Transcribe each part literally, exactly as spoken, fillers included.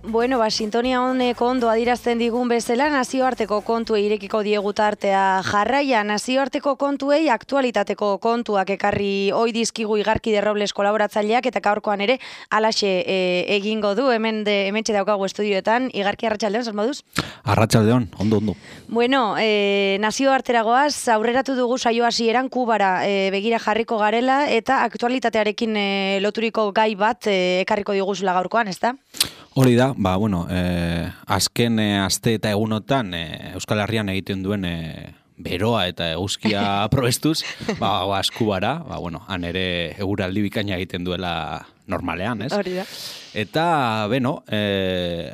Bueno, ba, sintonia honek ondo adirazten digun bezala, nazioarteko kontuei irekiko diegu tartea jarraia. Nazioarteko kontuei aktualitateko kontuak ekarri ohi dizkigu Igarki de Robles kolaboratzaileak, eta gaurkoan ere alaxe e, egingo du, hemen de, hementxe daukagu estudioetan. Igarki, arratsaldeon, zer moduz? Arratsaldeon, ondo, ondo. Bueno, e, nazioarteragoaz, aurreratu dugu saio hasieran Kubara e, begira jarriko garela, eta aktualitatearekin e, loturiko gai bat e, ekarriko diguzula gaurkoan, ezta? Hori da, ba, bueno, eh, azken eh, aste eta egunotan eh, Euskal Herrian egiten duen eh, beroa eta eguzkia probestuz, ba, ba, Kubara, ba, bueno, han ere eguraldi bikaina egiten duela normalean, ez? Hori da. Eta, beno, eh,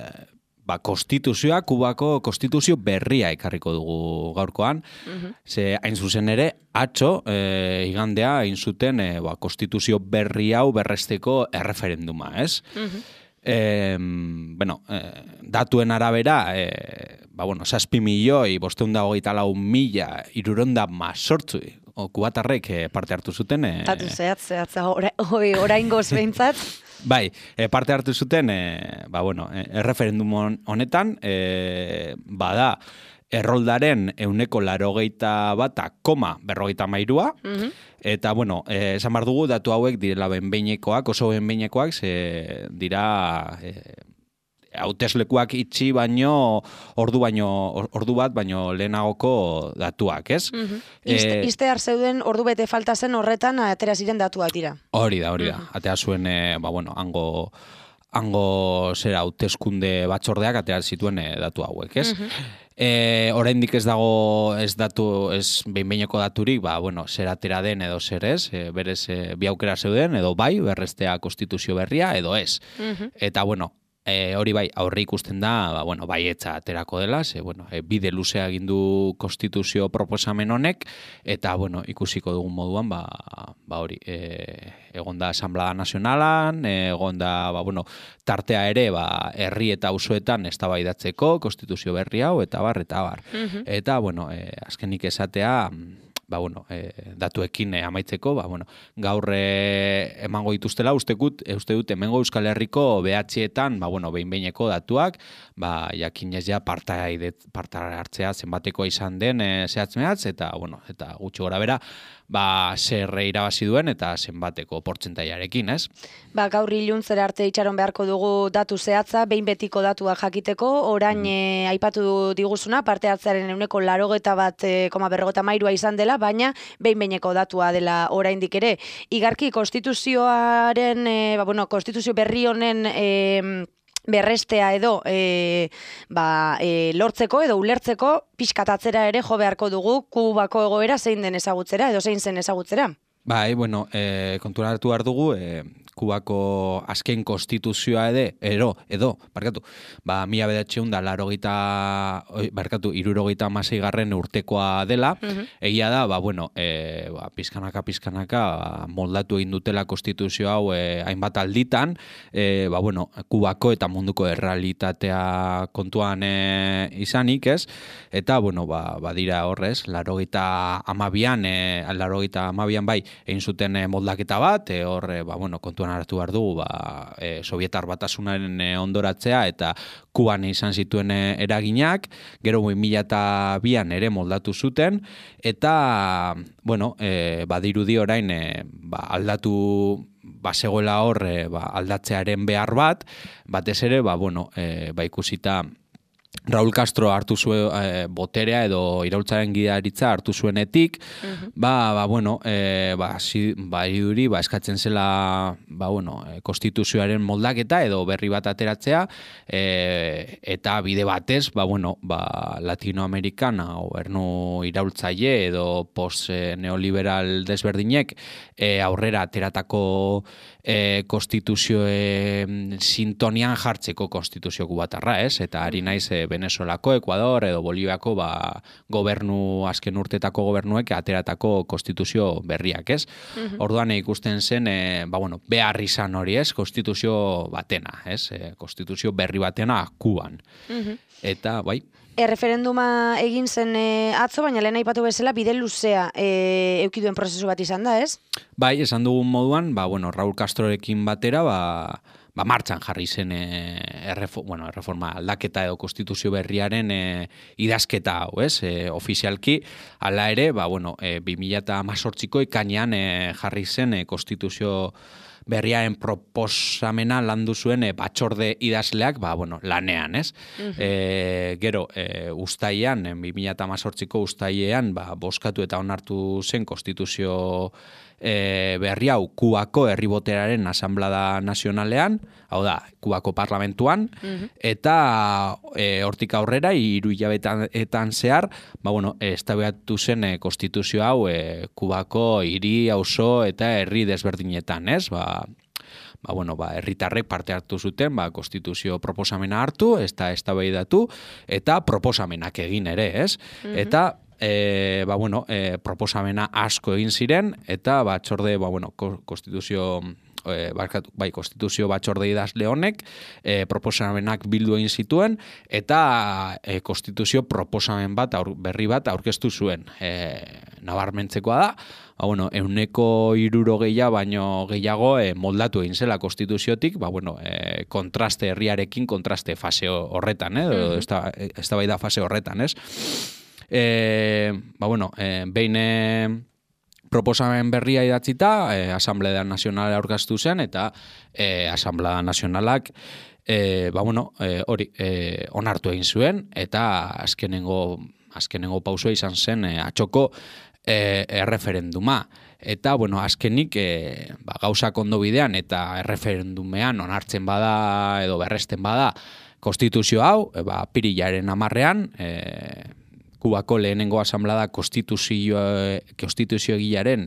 ba, konstituzioa, Kubako konstituzio berria ekarriko dugu gaurkoan, uh-huh. Ze hain zuzen ere, atzo, e, igandea, hain zuten, e, ba, konstituzio berri hau berresteko erreferenduma, ez? Uh-huh. E, bueno, e, datuen arabera, e, ba, bueno, zazpi milioi, bosteunda hogeita lau mila, iruronda mazortzu, kubatarrek e, parte hartu zuten. E, Datu zehat, zehat, orain goz behintzat. Bai, e, parte hartu zuten, e, ba, bueno, e, erreferendum honetan, e, bada, erroldaren euneko larogeita bata koma berrogeita mairua, uh-huh. Eta, bueno, eh, esan bar dugu datu hauek direla benbeinekoak, oso benbeinekoak, ze dira eh, hauteslekuak itxi baino, ordu baino, ordu bat baino lehenagoko datuak, ez? Uh-huh. Iste, eh, iste zeuden ordu bete falta zen horretan atera ziren datuak dira. Hori da, hori da. Uh-huh. Atea zuen, eh, ba, bueno, hango... hango zera hauteskunde batzordeak atera zituen e, datu hauek, ez? Uh-huh. E, oraindik ez dago ez datu, ez behin-behineko daturik, ba, bueno, zer atera den edo zer ez, e, berez e, bi aukera zeuden, edo bai, berrestea konstituzio berria, edo ez. Uh-huh. Eta, bueno, e, hori bai, aurre ikusten da, ba, bueno, baietza aterako dela, ze, bueno, e, bide luzea egin du konstituzio proposamen honek, eta, bueno, ikusiko dugun moduan, ba, ba hori, e, egonda Asamblea Nazionalan, egonda, ba, bueno, tartea ere, ba, herri eta auzoetan eztabaidatzeko konstituzio berri hau, eta bar, eta bar. Uh-huh. Eta, bueno, e, azkenik esatea, ba, bueno, e, datuekin e, amaitzeko, ba, bueno, gaur e, emango dituztela, ustekut, e, uste dut, emengo Euskal Herriko behatxietan, ba, bueno, behin-behineko datuak, ba, jakinez ja parta hartzea zenbateko izan den e, zehatz-mehatz, eta, bueno, eta gutxi gora bera, ba, zer irabazi duen eta zenbateko portzentaiarekin, ez? Ba, gaur iluntzera arte itxaron beharko dugu datu zehatza, behin betiko datua jakiteko, orain mm. e, aipatu diguzuna, parte hartzearen euneko larogeta bat, e, koma berrogeta mairua izan dela, baina behin-behineko datua dela oraindik ere. Igarki, konstituzioaren, e, ba, bueno, konstituzio berri honen e, berrestea edo e, ba, e, lortzeko edo ulertzeko pixkatatzera ere jo beharko dugu Kubako egoera zein den ezagutzera edo zein zen ezagutzera. Bai, bueno, e, konturatu behar dugu, e, Kubako azken konstituzioa ede, ero, edo, barkatu, ba, mila bederatziehun da larogeita, barkatu, irurogeita hamasei garren urtekoa dela, uh-huh. Egia da, ba, bueno, e, ba, pizkanaka, pizkanaka, ba, moldatu egin dutela konstituzio hau e, hainbat alditan, e, ba, bueno, Kubako eta munduko errealitatea kontuan e, izanik, ez? Eta, bueno, ba, badira horrez, larogeita hamabian, e, larogeita hamabian bai, egin zuten e, moldaketa bat, e, hor, e, ba, bueno, kontuan hartu behar dugu, ba, e, Sovietar Batasunaren e, ondoratzea eta Kuban izan zituen e, eraginak, gero mila eta bian ere moldatu zuten, eta, bueno, e, badirudi orain e, ba, aldatu bazegoela hor e, ba, aldatzearen behar bat, batez ere, ba, bueno, e, ba, ikusita Raúl Castro hartu zuen e, boterea edo iraultzaren gidaritza hartu zuenetik, uh-huh. ba, ba, bueno, e, ba, si, ba, iduri, ba, eskatzen zela, ba, bueno, e, konstituzioaren moldaketa edo berri bat ateratzea, e, eta bide batez, ba, bueno, ba, Latinoamerikana gobernu iraultzaile edo post-neoliberal desberdinek e, aurrera ateratako e, konstituzioen sintonian jartzeko konstituzio kubatarra, ez? Eta ari naiz e, Venezuelako, Ekuador edo Boliviako ba, gobernu, azken urtetako gobernuek ateratako konstituzio berriak, ez? Mm-hmm. Orduan ikusten zen, e, ba, bueno, behar izan hori, ez? Konstituzio batena, ez? E, konstituzio berri batena Kuban. Mm-hmm. Eta, bai... Erreferenduma egin zen e, atzo, baina lehen aipatu bezala bide luzea e, eukiduen prozesu bat izan da, ez? Bai, esan dugun moduan, ba, bueno, Raul Castrorekin batera, ba, ba martxan jarri zen e, errefo, bueno, erreforma aldaketa edo konstituzio berriaren e, idazketa hau, ez? E, ofizialki, hala ere, ba, bueno, e, bi mila hemezortziko ekainean e, jarri zen e, konstituzio berriaren proposamena landu zuen e, batzorde idazleak, ba, bueno, lanean, ez? Uh-huh. E, gero, e, ustaian, bi mila hemezortziko ustaiean, ba, boskatu eta onartu zen konstituzio e, berri hau Kubako herriboteraren asanblada nazionalean, hau da, Kubako parlamentuan, uh-huh. eta e, hortik aurrera, hiru hilabetetan zehar, ba, bueno, eztabaidatu zen e, konstituzio hau e, Kubako hiri, auzo eta herri desberdinetan, ez? Ba, ba, bueno, ba, herritarrek parte hartu zuten, ba, konstituzio proposamena hartu, ez da eztabaidatu, eta proposamenak egin ere, ez? Mm-hmm. Eta, e, ba, bueno, e, proposamena asko egin ziren, eta batzorde, ba, bueno, konstituzio... E, barkatu, bai, konstituzio batzorde idazle honek e, proposamenak bildu egin zituen eta e, konstituzio proposamen bat aur, berri bat aurkeztu zuen. E, nabarmentzekoa da, ba, bueno, euneko hirurogeia baino gehiago e, moldatu egin zela konstituziotik, ba, bueno, e, kontraste herriarekin, kontraste fase horretan, eh? Mm-hmm. ez, ez da bai da fase horretan, ez? E, ba, bueno, e, behin... E, proposamen berria idatzita, e, Asamblea Nazionala aurkeztu zen, eta e, Asamblea Nazionalak e, ba, bueno, e, hori e, onartu egin zuen, eta azkenengo, azkenengo pausua izan zen e, atxoko e, erreferenduma. Eta, bueno, azkenik e, ba, gauzak ondo bidean eta erreferendumean onartzen bada edo berresten bada konstituzio hau, e, ba, pirilaren hamarrean, e, Kubako lehenengo asanblada konstituzio konstituzio egilaren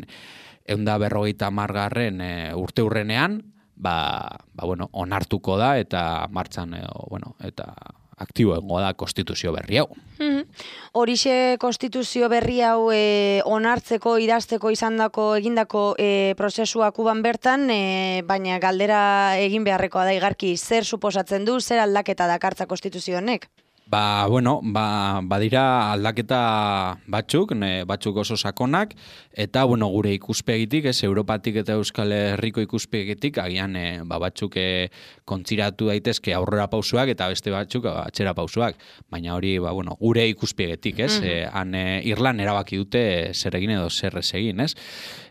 ehun eta berrogeita hamargarren e, urte hurrenean, ba, ba bueno, onartuko da eta martxan e, bueno, eta aktibo egongo da konstituzio berri hau. Mm-hmm. Horixe konstituzio berri hau e, onartzeko, idazteko izandako egindako e, prozesua Kuban bertan, e, baina galdera egin beharrekoa da igarki, zer suposatzen du, zer aldaketa dakartza konstituzio honek? Ba, bueno, ba, badira aldaketa batzuk, ne, batzuk oso sakonak, eta, bueno, gure ikuspegitik, ez, Europatik eta Euskal Herriko ikuspegitik, agian, e, ba, batzuk e, kontziratu daitezke aurrera pausuak, eta beste batzuk atzera pausuak. Baina hori, ba, bueno, gure ikuspegitik, ez, mm-hmm. e, han e, Irlan erabaki dute zer egin edo zer ez egin, ez.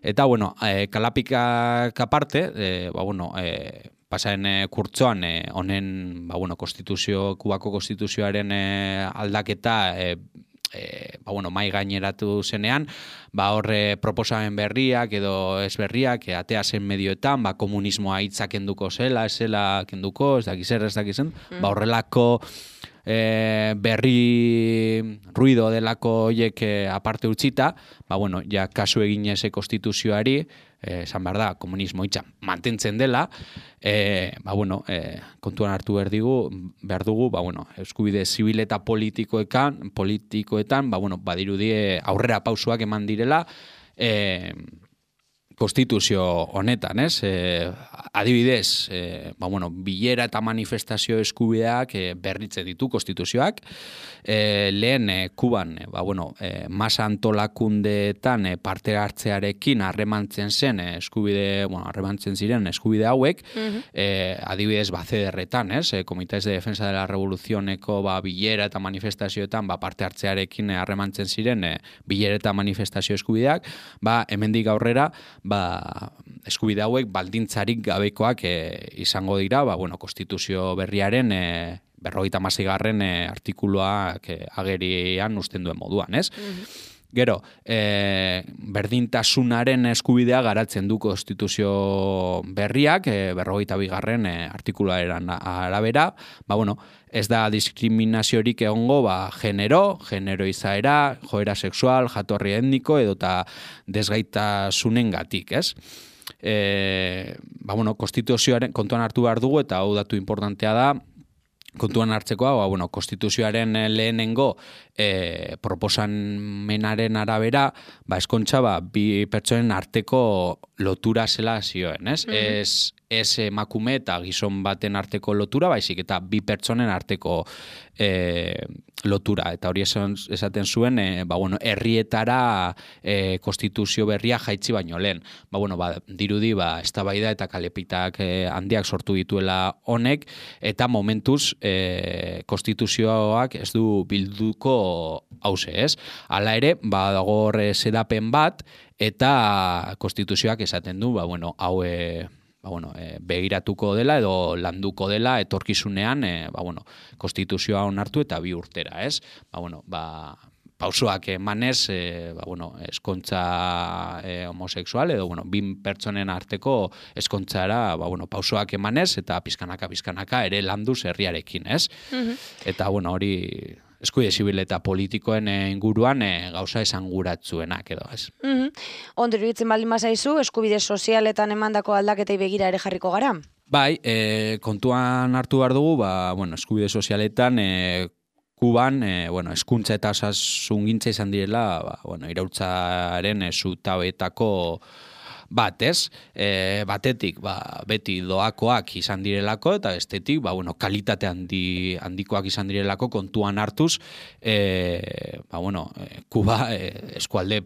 Eta, bueno, e, kalapikak aparte, e, ba, bueno, e, pasaren e, kurtzoan e, honen ba, bueno, konstituzio, Kubako konstituzioaren e, aldaketa e, e, ba, bueno, mai gaineratu zenean, ba, horre proposamen berriak edo ez berriak e, atea zen medioetan, ba, komunismoa hitza kenduko zela, ez zela kenduko, ez dakizer, ez dakizen, mm. ba, horrelako e, berri ruido delako horiek e, aparte utzita, ba, bueno, ja kasu eginez konstituzioari, esan behar da, komunismo hitza mantentzen dela, e, ba, bueno, e, kontuan hartu behar dugu, behar dugu, ba, bueno, eskubide zibil eta politikoetan, politikoetan, ba, bueno, badirudie aurrera pausuak eman direla, e, konstituzio honetan, ez? E, adibidez, e, ba, bueno, bilera eta manifestazio eskubideak e, berritzen ditu konstituzioak. E, lehen, e, Kuban, e, ba, bueno, e, masa antolakundeetan e, parte hartzearekin harremantzen zen e, eskubide, bueno, harremantzen ziren eskubide hauek, uh-huh. e, adibidez, ba, C D R-etan, ez? E, Comités de Defensa de la Revolucioneko ba, bilera eta manifestazioetan ba, parte hartzearekin e, harremantzen ziren e, bilera eta manifestazio eskubideak, ba, hemendik aurrera, ba, eskubide hauek baldintzarik gabekoak e, izango dira, ba, bueno, konstituzio berriaren e, berrogeita hamaseigarren e, artikuluak e, agerian usten duen moduan, ez? Mm-hmm. Gero, e, berdintasunaren eskubidea garatzen du konstituzio berriak, e, berrogeita bigarren e, artikuluaren arabera, ba, bueno, ez da diskriminaziorik egongo, ba, genero, genero izaera, joera sexual, jatorri etniko edota desgaitasunengatik, ez? E, ba, bueno, konstituzioaren kontuan hartu behar dugu, eta hau datu importantea da, kontuan hartzekoa, ba, bueno, konstituzioaren lehenengo e, proposamenaren arabera, ba, eskontza, ba, bi pertsonen arteko lotura zela zioen, ez? Mm-hmm. Ez, ez emakume eta gizon baten arteko lotura, baizik eta bi pertsonen arteko e, lotura. Eta hori esan, esaten zuen, e, ba, bueno, herrietara e, konstituzio berria jaitsi baino lehen. Ba, bueno, ba, dirudi, ba, eztabaida eta kalepitak e, handiak sortu dituela honek, eta momentuz e, konstituzioak ez du bilduko hause, ez? Hala ere, ba, dago horre zedapen bat, eta konstituzioak esaten du, ba, bueno, hau e, ba, bueno, e, begiratuko dela edo landuko dela etorkizunean, e, ba, bueno, konstituzioa onartu eta bi urtera, ez? Ba, bueno, ba, pausoak emanez, e, ba, bueno, eskontza e, homosexual edo, bueno, bin pertsonen arteko eskontzara, ba, bueno, pausoak emanez eta pizkanaka, pizkanaka ere landuz herriarekin, ez? Mm-hmm. Eta, bueno, hori eskubide zibil eta politikoen inguruan e, gauza esanguratzuenak edo, ez? Mm-hmm. Ondo iruditzen baldin bazaizu, eskubide sozialetan emandako aldaketei begira ere jarriko gara? Bai, e, kontuan hartu behar dugu, ba, bueno, eskubide sozialetan e, Kuban, e, bueno, eskuntza eta osasungintza izan direla, ba, bueno, iraultzaren e, zutabetako bat, ez? E, batetik, ba, beti doakoak izan direlako, eta bestetik, ba, bueno, kalitate handi, handikoak izan direlako kontuan hartuz, e, ba, bueno, e, Kuba e, eskualde,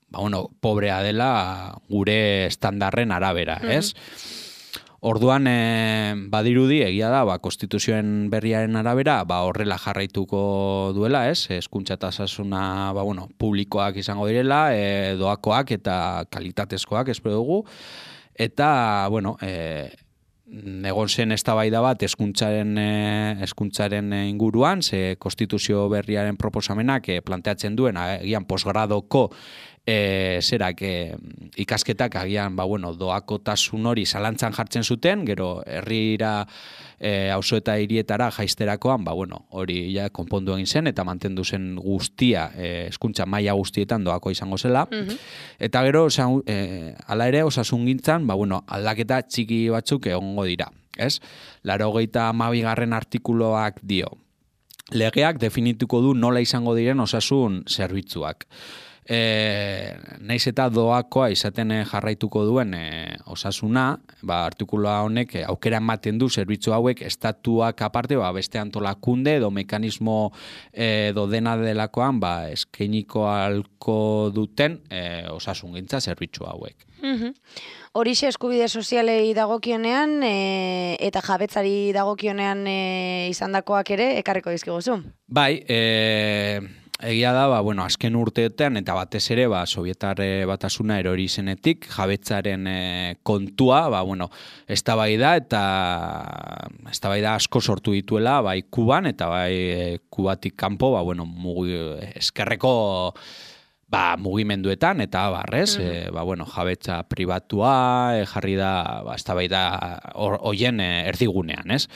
ba, bueno, pobrea dela gure estandarren arabera, ez? Mm-hmm. Orduan, e, badirudi, egia da, ba, konstituzioen berriaren arabera, ba, horrela jarraituko duela, ez? Hezkuntza eta osasuna, ba, bueno, publikoak izango direla, e, doakoak eta kalitatezkoak, espero dugu. Eta, bueno, e, egon zen eztabaida bat hezkuntzaren e, hezkuntzaren inguruan, ze konstituzio berriaren proposamenak e, planteatzen duen, agian posgradoko E, zerak e, ikasketak agian, ba, bueno, doakotasun hori zalantzan jartzen zuten, gero herrira e, auzo eta hirietara jaisterakoan, ba, bueno, hori ja konpondu egin zen eta mantendu zen guztia, e, hezkuntza maila guztietan doako izango zela. Mm-hmm. Eta gero, osan, e, ala ere, osasungintzan, ba, bueno, aldaketa txiki batzuk egongo dira, ez? Laurogeita hamabigarren artikuluak dio. Legeak definituko du nola izango diren osasun zerbitzuak. E, naiz eta doakoa izaten jarraituko duen e, osasuna, ba, artikulua honek aukera ematen du zerbitzu hauek estatuak aparte, ba, beste antolakunde edo mekanismo e, edo dena delakoan ba, eskainiko halko duten e, osasungintza zerbitzu hauek. Mm-hmm. Horixe eskubide sozialei dagokionean e, eta jabetzari dagokionean e, izandakoak ere ekarriko dizkiguzu. Bai, e... Egia da, ba, bueno, azken urteetan eta batez ere, ba, Sovietar batasuna erori zenetik, jabetzaren e, kontua, ba, bueno, eztabaida eta eztabaida asko sortu dituela, bai Kuban eta bai e, Kubatik kanpo, ba, bueno, mugi, eskerreko ba, mugimenduetan eta barrez, mm-hmm. e, ba, bueno, jabetza pribatua e, jarri da, ba, eztabaida hoien e, erdigunean, ez?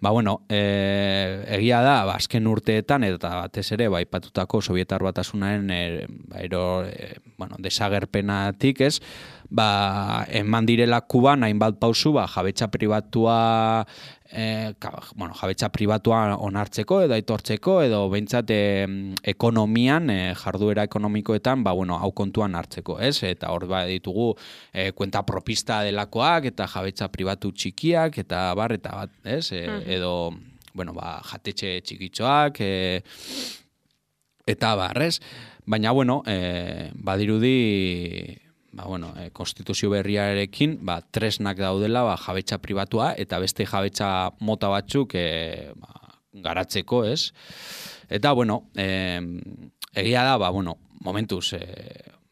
Ba, bueno, e, egia da, ba, azken urteetan, eta batez ere, ba, ipatutako Sovietar batasunaren e, ba, ero, e, bueno, desagerpenatik, ez, ba, eman direla Kuban, hainbat pausu, ba, jabetza pribatua, e, ka, bueno, jabetza pribatua onartzeko, edo aitortzeko, edo behintzat e, ekonomian, e, jarduera ekonomikoetan, ba, bueno, hau kontuan hartzeko, ez, eta hor ba, ditugu e, kuenta propista delakoak, eta jabetza pribatu txikiak, eta bar, eta bat, ez, e, edo, bueno, ba, jatetxe txikitxoak, e, eta barrez, baina, bueno, e, badirudi, ba, bueno, e, konstituzio berriarekin, ba, tresnak daudela, ba, jabetza pribatua, eta beste jabetza mota batzuk e, ba, garatzeko, ez? Eta, bueno, e, egia da, ba, bueno, momentuz, e,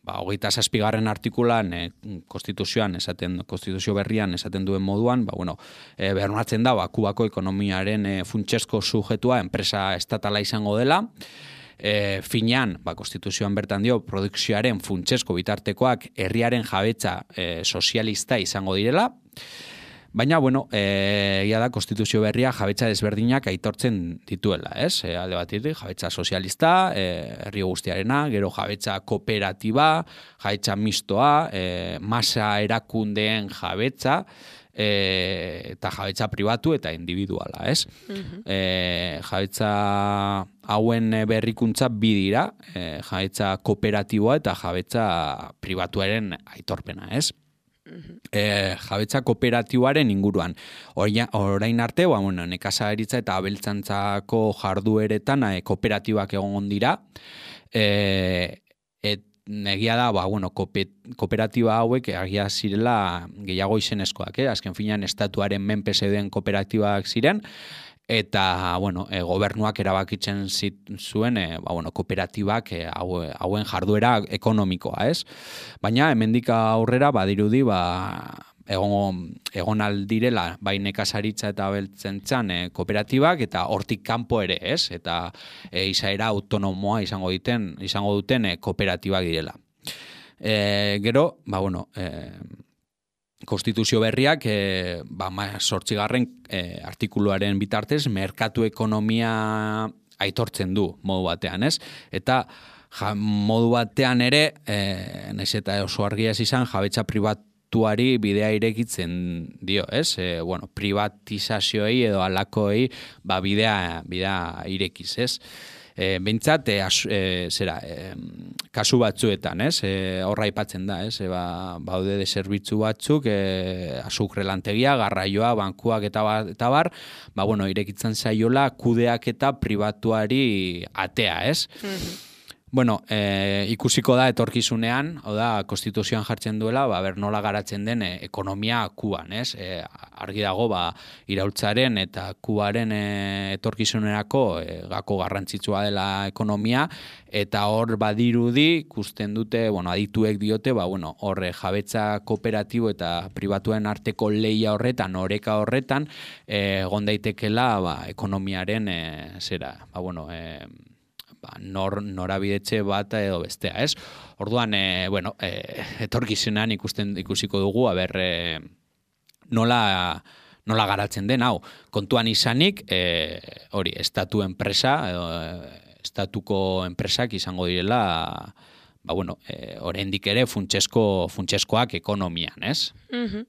ba, hogeita zazpigarren artikulan e, konstituzioan esaten, konstituzio berrian esaten duen moduan, ba, bueno, e, bermatzen da, ba, Kubako ekonomiaren e, funtsezko sujetua enpresa estatala izango dela, E, finean, ba, konstituzioan bertan dio, produkzioaren funtsezko bitartekoak herriaren jabetza e, sozialista izango direla, baina, bueno, egia da, konstituzio berria jabetza desberdinak aitortzen dituela, ez? E, alde batetik, jabetza sozialista, e, herri guztiarena, gero jabetza kooperatiba, jabetza mistoa, e, masa erakundeen jabetza, e, eta jabetza pribatu eta individuala, ez? Mm-hmm. E, jabetza hauen berrikuntza bi dira, e, jabetza kooperatiboa eta jabetza pribatuaren aitorpena, ez? E, jabetza kooperatiboaren inguruan. Oia, orain arte, ba, bueno, nekazaritza eta abeltzantzako jardueretan e, kooperatibak egon dira. E, et, egia da, ba, bueno, kooperatiba hauek egia zirela gehiago izenezkoak, eh? Azken finean estatuaren menpe zeuden kooperatibak ziren, eta, bueno, e, gobernuak erabakitzen zuen, e, ba, bueno, kooperatibak e, hauen jarduera ekonomikoa, ez? Baina, hemendik aurrera, badirudi, ba, egon, egon aldirela, bai nekazaritza eta abeltzentzan e, kooperatibak, eta hortik kanpo ere, ez? Eta e, izaera autonomoa izango duten, izango duten e, kooperatibak direla. E, gero, ba, bueno, e, konstituzio berriak e, ba, zortzigarren e, artikuluaren bitartez merkatu ekonomia aitortzen du modu batean, ez? Eta ja, modu batean ere, e, naiz eta oso argia ez izan, jabetza pribatuari bidea irekitzen dio, ez? E, bueno, privatizazioei edo alakoei ba, bidea, bidea irekiz, ez? E, Bentsat, e, e, zera, e, kasu batzuetan, ez? E, horra aipatzen da, ez? E, ba, baude de zerbitzu batzuk, e, azukre lantegia, garraioa, bankuak eta, ba, eta bar, ba, bueno, irekitzen zaiola kudeak eta pribatuari atea, ez? Mm-hmm. Bueno, e, ikusiko da etorkizunean, hau da, konstituzioan jartzen duela, ba, ber nola garatzen den e, ekonomia Kuban, ez? E, argi dago, ba, iraultzaren eta Kubaren e, etorkizunerako e, gako garrantzitsua dela ekonomia, eta hor badirudi, ikusten dute, bueno, adituek diote, ba, bueno, horre jabetza kooperatibo eta pribatuen arteko leia horretan, oreka horretan, e, gondaitekela, ba, ekonomiaren, e, zera, ba, bueno, e, Ba, nor, norabidetxe bat edo bestea, ez? Orduan, e, bueno, e, etorkizunean ikusten ikusiko dugu, aber, e, nola, nola garatzen den, hau, kontuan izanik, e, hori, estatu enpresa, edo, e, estatuko enpresak izango direla, ba, bueno, e, oraindik ere funtsesko, funtseskoak ekonomian, ez? Mhm.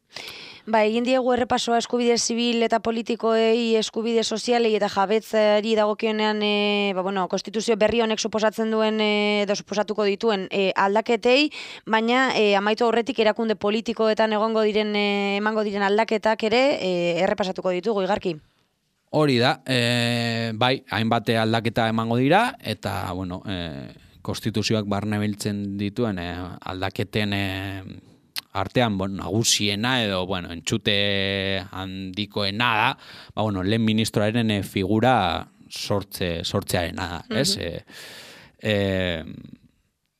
Ba, egin diegu errepasoa eskubide zibil eta politikoei, eskubide sozialei eta jabetzari dagokionean, e, ba, bueno, konstituzio berri honek suposatzen duen e, edo suposatuko dituen e, aldaketei, baina e, amaitu aurretik erakunde politikoetan egongo diren e, emango diren aldaketak ere e, errepasatuko ditugu, Igarki. Hori da, e, bai, hainbate aldaketa emango dira, eta, bueno, e, konstituzioak barne biltzen dituen e, aldaketen e, artean, bueno, nagusiena edo, bueno, entxute handikoena da, ba, bueno, lehen ministroaren e, figura sortze, sortzearena da, ez? Mm-hmm. e, e,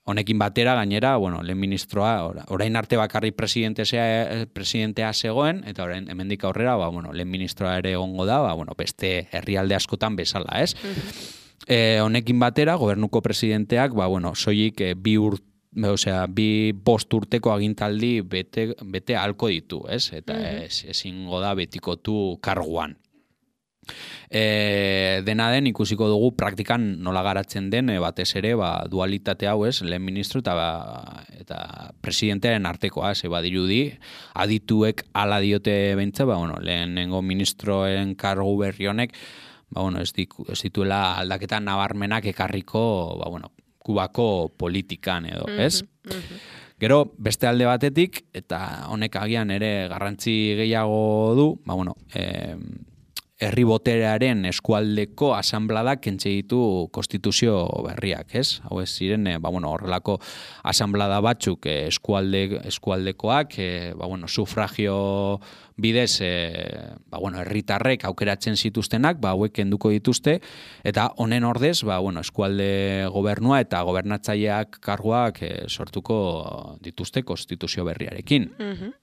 honekin batera, gainera, bueno, lehen ministroa, orain arte bakarri presidentea, presidentea zegoen, eta orain hemendik aurrera, ba, bueno, lehen ministroa ere egongo da, ba, bueno, beste herrialde askotan bezala, ez? Mm-hmm. e, honekin batera, gobernuko presidenteak, ba, bueno, soilik e, bi urte, osea, bi bost urteko agintaldi bete, bete halko ditu, ez? Eta mm-hmm. ez, ezingo da betikotu karguan. E, dena den ikusiko dugu praktikan nola garatzen den, e, batez ere, ba, dualitate hau, ez, lehen ministro eta, ba, eta presidentearen artekoa, ez, badirudi, adituek ala diote bentsa, ba, bueno, lehenengo ministroen kargu berri honek, ba, bueno, ez, diku, ez dituela aldaketa nabarmenak ekarriko, ba, bueno, Kubako politikan edo, ez? Mm-hmm, mm-hmm. Gero, beste alde batetik, eta honek agian ere garrantzi gehiago du, ba, bueno, eh, herri boterearen eskualdeko asanbladak kentze ditu konstituzio berriak, ez? Hau ez ziren, ba, bueno, horrelako asanblada batzuk eskualde, eskualdekoak, e, ba, bueno, sufragio bidez, e, ba, bueno, herritarrek aukeratzen zituztenak, ba, hauek kenduko dituzte, eta honen ordez, ba, bueno, eskualde gobernua eta gobernatzaileak karguak e, sortuko dituzte konstituzio berriarekin. Mm-hmm.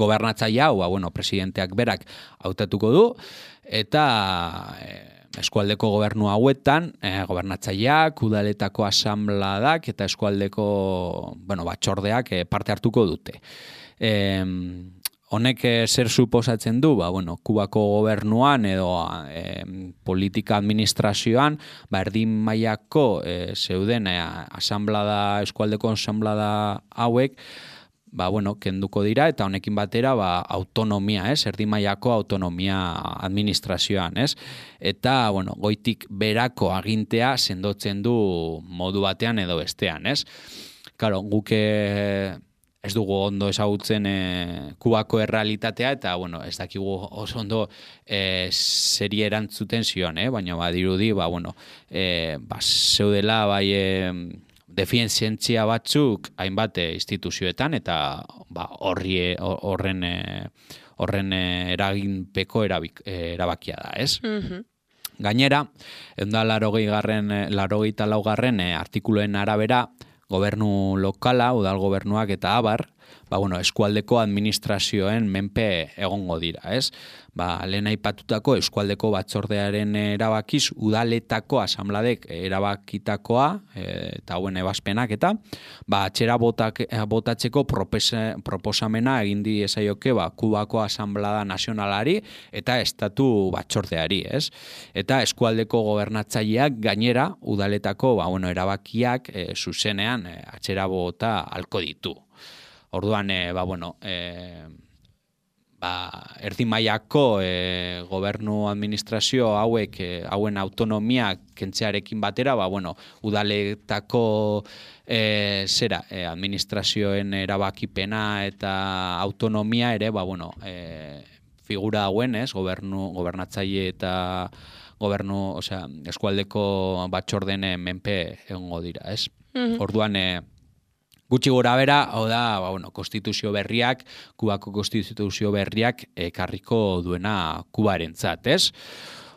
Gobernatzaile hau, ba, bueno, presidenteak berak hautatuko du, eta e, eskualdeko gobernu hauetan, e, gobernatzaileak, udaletako asanbladak eta eskualdeko, bueno, batzordeak e, parte hartuko dute. E, honek e, zer suposatzen du, ba, bueno, Kubako gobernuan edo e, politika administrazioan, ba, erdin mailako e, zeuden e, asanblada, eskualdeko asanblada hauek, ba, bueno, kenduko dira, eta honekin batera, ba, autonomia, ez? Erdi mailako autonomia administrazioan, ez? Eta, bueno, goitik berako agintea sendotzen du modu batean edo bestean, ez? Claro, guk ez dugu ondo ezagutzen e, Kubako errealitatea, eta, bueno, ez dakigu oso ondo e, zeri erantzuten zion, eh? Baina, ba, dirudi, ba, bueno, e, ba, zeudela, bai, e, defienzientzia batzuk hainbat instituzioetan, eta ba, horri, horren, horren eraginpeko erabik, erabakia da, ez? Mm-hmm. Gainera, egun da larogei garren, larogei talaugarren artikuluen arabera, gobernu lokala, udal gobernuak eta abar, ba, bueno, eskualdeko administrazioen menpe egongo dira, ez? Ba, lehen aipatutako eskualdeko batzordearen erabakiz, udaletako asamladek erabakitakoa, e, eta hauen ebazpenak, eta ba, atxera botak, botatzeko propese, proposamena egin di esaioke, ba, Kubako Asamblada Nazionalari eta estatu batzordeari, ez? Eta eskualdeko gobernatzaileak gainera, udaletako, ba, bueno, erabakiak e, zuzenean e, atxera bota halko ditu. Orduan, e, ba, bueno, e, ba, erdi mailako e, gobernu administrazio hauek, e, hauen autonomia kentzearekin batera, ba, bueno, udaletako e, zera, e, administrazioen erabakipena eta autonomia ere, ba, bueno, e, figura hauen, ez, gobernu, gobernatzaile eta gobernu, osea, eskualdeko batzorden menpe egongo dira, ez? Mm-hmm. Orduan, e, gutxi gora bera, hau da, ba, bueno, konstituzio berriak, Kubako konstituzio berriak ekarriko duena Kubarentzat, ez?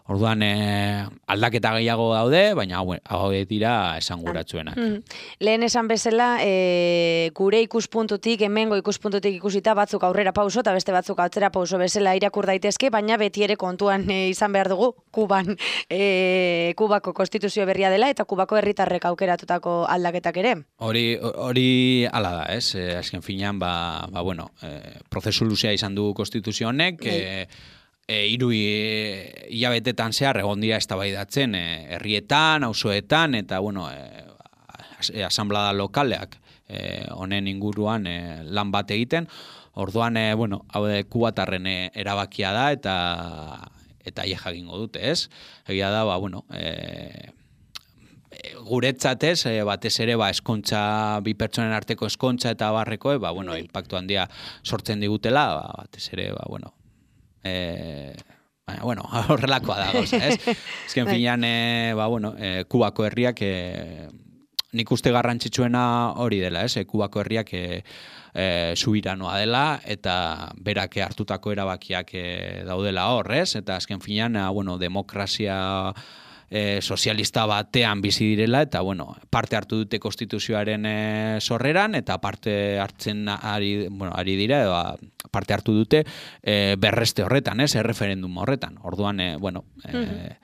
Orduan, eh, aldaketa gehiago daude, baina hau dira esanguratsuenak. Mm. Lehen esan bezala, e, gure ikuspuntutik, hemengo ikuspuntutik ikusita batzuk aurrera pauso eta beste batzuk atzera pauso bezala irakur daitezke, baina beti ere kontuan e, izan behar dugu Kuban, e, Kubako konstituzio berria dela eta Kubako herritarrek aukeratutako aldaketak ere. Hori hori hala da, ez? E, azken finean, ba, ba bueno, e, prozesu luzea izan du konstituzio honek, e, E, iru hilabetetan zehar egon dira eztabaidatzen e, herrietan, auzoetan eta bueno, e, asamblada lokaleak honen e, inguruan e, lan bat egiten. Orduan, e, bueno, hau de kubatarren e, erabakia da eta eta haiek jakingo dute, ez? Egia da, ba, bueno, e, guretzatez, e, batez ere, ba, eskontza, bi pertsonen arteko eskontza eta barreko, e, ba, bueno, impactu handia sortzen digutela, ba, batez ere, ba, bueno, Eh, baina, bueno, horrelakoa da gauza, ez? Ezken finean, eh, ba, bueno, eh, Kubako herriak, eh, nik uste garrantzitsuena hori dela, ez? Eh, Kubako herriak eh, eh, subiranoa dela, eta berak hartutako erabakiak eh, daudela hor, ez? Eta azken finean, eh, bueno, demokrazia E, sozialista batean bizi direla, eta bueno, parte hartu dute konstituzioaren e, sorreran, eta parte hartzen ari, bueno, ari dira, edo, parte hartu dute e, berreste horretan, ez, erreferendum horretan. Orduan, e, bueno, e, mm-hmm.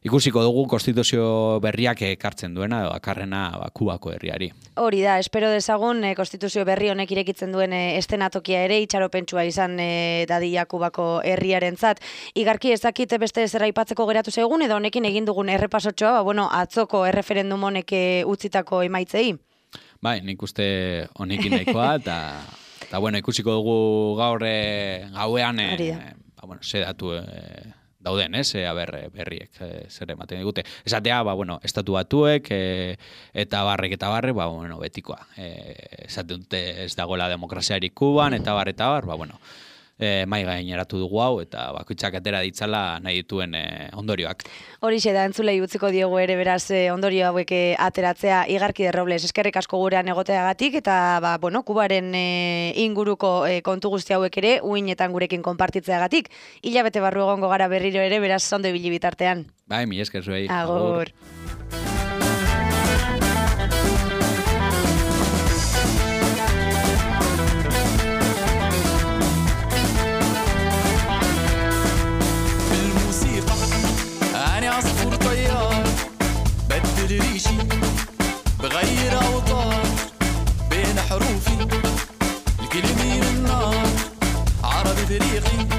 ikusiko dugu konstituzio berriak ekartzen duena, edo akarrena ba, Kubako herriari. Hori da, espero dezagun e, konstituzio berri honek irekitzen duen e, estenatokia ere, itxaropentsua izan e, dadia Kubako herriarentzat. Igarki ezakite beste zer aipatzeko geratu zaigun, edo honekin egin dugun errepasotxoa, ba, bueno, atzoko erreferendum honek utzitako emaitzei? Bai, nik uste honekin nahikoa, eta, eta bueno, ikusiko dugu gaur e, gauean, e, ba, bueno, sedatu e, dauden, ez, e, aber, berriek e, zer ematen digute. Esatea, ba, bueno, estatu batuek e, eta barrek eta barrek, ba, bueno, betikoa. E, esaten dute ez dagoela demokraziarik Kuban, eta bar, eta bar, ba, bueno, e, mai gaineratu dugu hau, eta bakoitzak atera ditzala nahi dituen e, ondorioak. Horixe da, entzulei utziko diogu ere beraz e, ondorio hauek ateratzea. Igarki de Robles, eskerrik asko gurean egoteagatik, eta ba, bueno, Kubaren e, inguruko e, kontu guzti hauek ere uinetan gurekin konpartitzeagatik. Hilabete barru egongo gara berriro ere, beraz ondo ibili bitartean. Bai, mi esker zuei. Agur. ريشي بغير أوطار بين حروفي الكلمة من النار عربي تاريخي